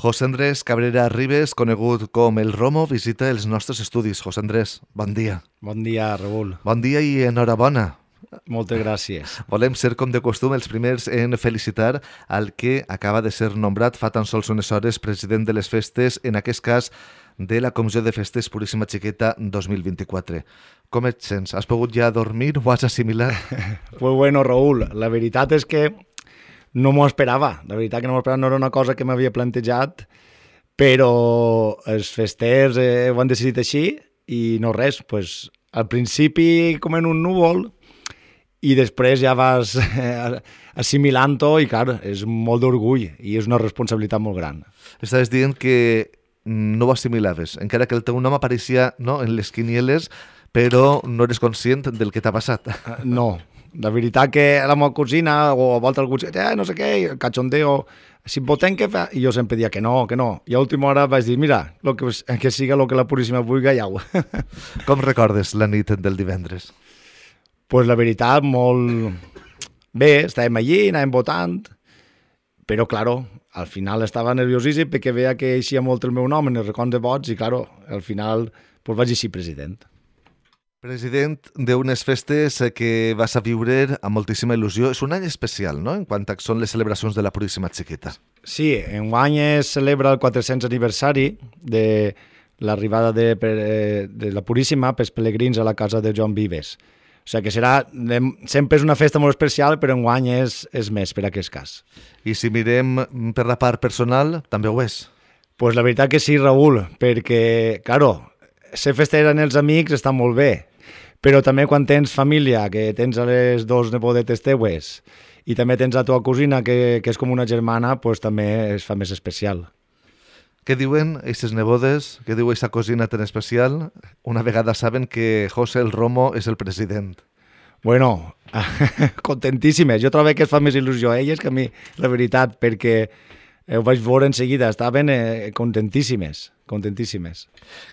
José Andrés Cabrera Ribes, conegut com el Romo, visita els nostres estudis. José Andrés, bon dia. Bon dia, Raül. Bon dia i enhorabona. Moltes gràcies. Volem ser, com de costum, els primers en felicitar al que acaba de ser nombrat fa tan sols unes hores president de les festes, en aquest cas de la Comissió de Festes Puríssima Xiqueta 2024. Com et sents? Has pogut ja dormir? Ho has assimilat? Pues bueno, Raül, la veritat és que no m'ho esperava. La veritat que no m'ho esperava, no era una cosa que m'havia plantejat, però els festers ho han decidit així i no res. Pues, al principi com en un núvol i després ja vas assimilant-ho i, clar, és molt d'orgull i és una responsabilitat molt gran. Estaves dient que no ho assimilaves, encara que el teu nom apareixia, no, en les quinieles, però no eres conscient del que t'ha passat. No, la veritat que la meva cosina o a volta algú diu, no sé què, el cachondeo, si votem què fa? I jo sempre dia que no. I a última hora vaig dir, mira, que siga el que la Puríssima vulgui, ja ho. Com recordes la nit del divendres? Pues la veritat, molt bé, estàvem allí, anàvem votant, però, claro, al final estava nerviosíssim perquè veia que eixia molt el meu nom en el recompte de vots i, claro, al final pues, vaig eixir president. President d'unes festes que vas a viure amb moltíssima il·lusió. És un any especial, no?, en quant a són les celebracions de la Puríssima Xiqueta. Sí, enguany es celebra el 400 aniversari de l'arribada de la Puríssima pels pelegrins a la casa de Joan Vives. O sigui que sempre és una festa molt especial, però enguany és més per aquest cas. I si mirem per la part personal, també ho és? Pues la veritat que sí, Raül, perquè, claro, ser fester en els amics està molt bé, però també quan tens família, que tens a les dos nebodetes teues, i també tens la teva cosina, que és com una germana, pues també es fa més especial. Què diuen aquestes nebodes? Què diu aquesta cosina tan especial? Una vegada saben que José el Romo és el president. Bueno, contentíssimes. Jo trobo que es fa més il·lusió a elles que a mi, la veritat, perquè ho vaig veure en seguida. Estaven contentíssimes.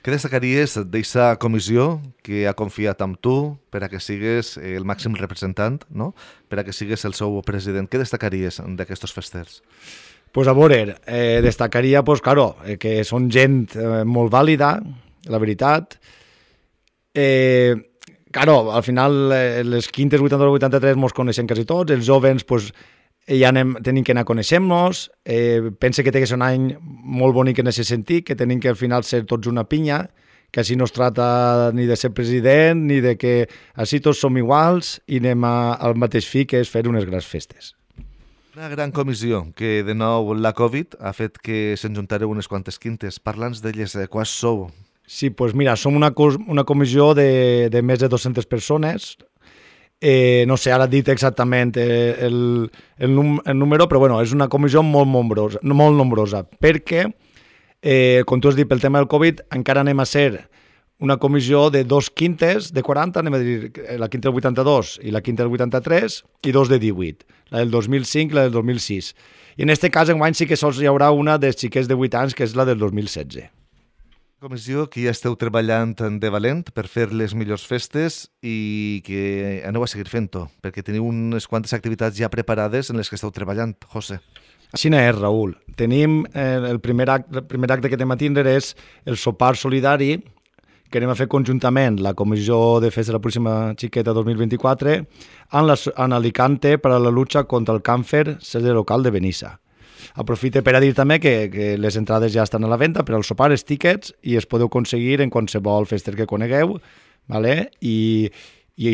Què destacaries d'aquesta comissió que ha confiat amb tu per a que sigues el màxim representant, no?, per a que sigues el seu president? Què destacaries d'aquests festers? Pues a veure, destacaria, pues, claro, que són gent molt vàlida, la veritat. Claro, al final, les quintes 82-83 mos coneixem quasi tots, els jovens pues, ja tenim que anar coneixent-nos, pense que té que ser un any molt bonic en aquest sentit, que tenim que al final ser tots una pinya, que així no es trata ni de ser president, ni de que així tots som iguals i anem al mateix fi, que és fer unes grans festes. Una gran comissió que, de nou, la Covid ha fet que se'n juntareu unes quantes quintes. Parla'ns d'elles, quants sou? Sí, doncs mira, som una comissió de més de 200 persones. No sé, ara he dit exactament el número, però bueno, és una comissió molt nombrosa, perquè, com tu has dit, pel tema del Covid, encara anem a ser una comissió de 2 quintes de 40, anem a dir la quinta del 82 i la quinta del 83, i 2 de 18, la del 2005 i la del 2006. I en aquest cas, enguany sí que sols hi haurà una dels xiquets de 8 anys, que és la del 2016. Comissió que ja esteu treballant de valent per fer les millors festes i que aneu a seguir fent-ho, perquè teniu unes quantes activitats ja preparades en les que esteu treballant, José. Així és, Raül. Tenim el primer acte que anem a tindre és el sopar solidari, que anem a fer conjuntament la Comissió de Festes de la Puríssima Xiqueta 2024 en Alicante per a la lluita contra el càncer sede local de Benissa. Aprofite per a dir també que les entrades ja estan a la venda per al sopar, els tíquets, i es podeu aconseguir en qualsevol fester que conegueu, ¿vale? I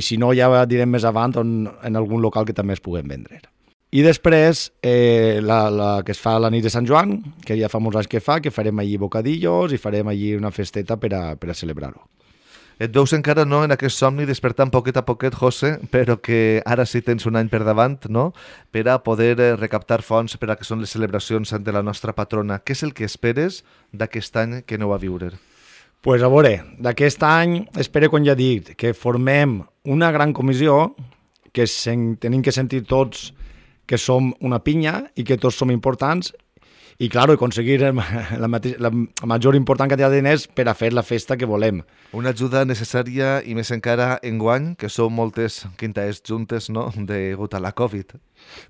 si no ja direm més avant en algun local que també es puguem vendre. I després, la que es fa la nit de Sant Joan, que ja fa molts anys que farem allí bocadillos i farem allí una festeta per a celebrar-ho. Et veus encara no en aquest somni despertant poquet a poquet, José, però que ara sí tens un any per davant, no?, per a poder recaptar fons per a que són les celebracions de la nostra patrona. Què és el que esperes d'aquest any que aneu a viure? Pues a veure, d'aquest any espero, com ja dic, que formem una gran comissió, que tenim que sentir tots que som una pinya i que tots som importants i claro, aconseguir la major important quantitat de diners per a fer la festa que volem. Una ajuda necessària i més encara enguany, que són moltes quintaes juntes, no?, degut a la Covid.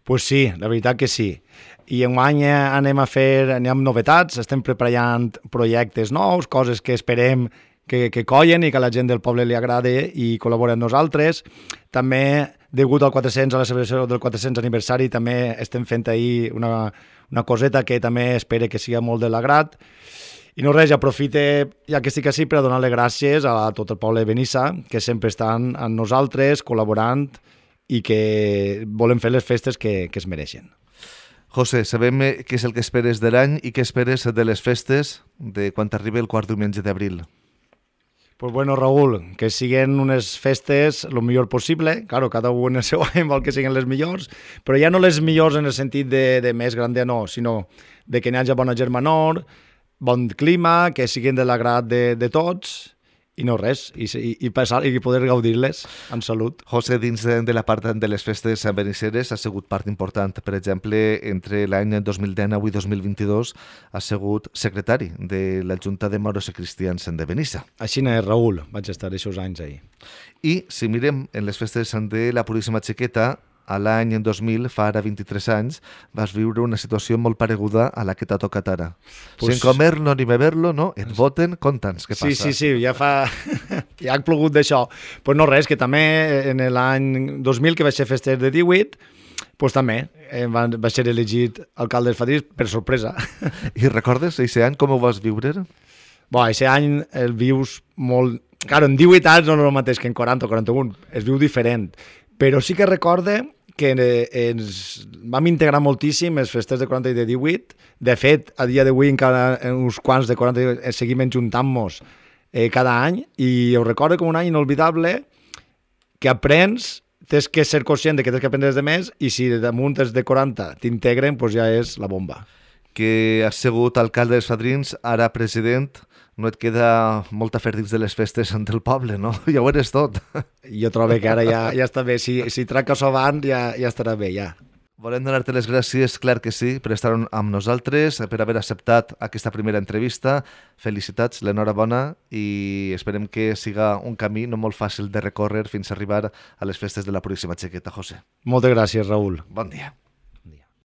Pues sí, la veritat que sí. I enguany anem amb novetats, estem preparant projectes nous, coses que esperem que collen i que a la gent del poble li agrade i col·labora amb nosaltres. També, degut al 400, a la celebració del 400 aniversari, també estem fent ahir una coseta que també espero que sigui molt de l'agrat. I no res, aprofite, ja que estic així, per a donar-li gràcies a tot el poble de Benissa, que sempre estan amb nosaltres, col·laborant i que volen fer les festes que es mereixen. José, sabem què és el que esperes de l'any i què esperes de les festes de quan arribi el quart diumenge d'abril. Pues bueno, Raúl, que siguen unes festes el millor possible. Claro, cada un en el seu any vol que siguin les millors, però ja no les millors en el sentit de més grande, no, sinó de que n'hi hagi bona germanor, bon clima, que siguin de l'agrat de tots, i no res, i poder gaudir-les en salut. José, dins de la part de les festes benisseres ha sigut part important. Per exemple, entre l'any 2019 i 2022 ha sigut secretari de la Junta de Moros i Cristians de Benissa. Així n'és, Raúl, vaig estar aquests anys ahir. I si mirem en les festes de la Puríssima Xiqueta, a l'any 2000, fa ara 23 anys, vas viure una situació molt pareguda a la que t'ha tocat ara. Pues... Sin comer-lo ni beber-lo, no? Et voten, conta'ns què passa. Sí, ja ha plogut d'això. Pues no res, que també en l'any 2000, que vaig ser fester de 18, pues també vaig ser elegit alcalde de Fadrins per sorpresa. I recordes aquest any com ho vas viure? Aquest any el vius molt... Claro, en 18 anys no és el mateix que en 40 o 41, es viu diferent. Però sí que recorde que ens vam integrar moltíssim les festes de 40 i de 18. De fet, a dia d'avui encara uns quants de 40 seguim enjuntant-nos cada any, i ho recordo com un any inolvidable que aprens, tens que ser conscient de que tens que aprendre de més, i si damunt és de 40 t'integren, doncs ja és la bomba. Que has sigut alcalde dels Fadrins, ara president, no et queda molta fer dins de les festes del poble, no? Ja ho eres tot. Jo trobo que ara ja està bé. Si tracques abans ja estarà bé, ja. Volem donar-te les gràcies, clar que sí, per estar amb nosaltres, per haver acceptat aquesta primera entrevista. Felicitats, l'enhorabona, i esperem que siga un camí no molt fàcil de recórrer fins a arribar a les festes de la Puríssima Xiqueta, José. Moltes gràcies, Raúl. Bon dia.